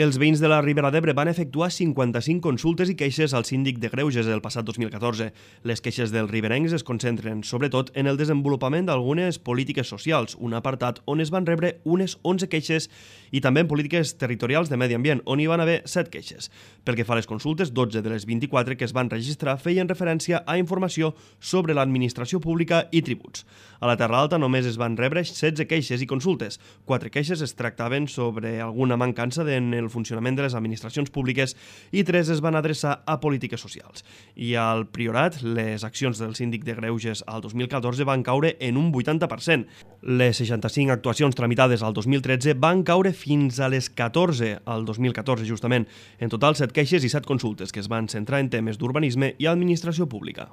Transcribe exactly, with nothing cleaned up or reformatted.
Els veïns de la Ribera d'Ebre van efectuar cinquanta-cinc consultes i queixes al síndic de Greuges el passat dos mil catorze. Les queixes dels riberencs es concentren, sobretot, en el desenvolupament d'algunes polítiques socials, un apartat on es van rebre unes onze queixes, i també en polítiques territorials de medi ambient, on hi van haver set queixes. Pel que fa a les consultes, dotze de les vint-i-quatre que es van registrar feien referència a informació sobre l'administració pública i tributs. A la Terra Alta només es van rebre setze queixes i consultes. Quatre queixes es tractaven sobre alguna mancança en el funcionament de les administracions públiques i tres es van adreçar a polítiques socials. I al Priorat, les accions del síndic de Greuges al dos mil catorze van caure en un vuitanta per cent. Les seixanta-cinc actuacions tramitades al dos mil tretze van caure fins a les catorze al dos mil catorze, justament. En total, set queixes i set consultes que es van centrar en temes d'urbanisme i administració pública.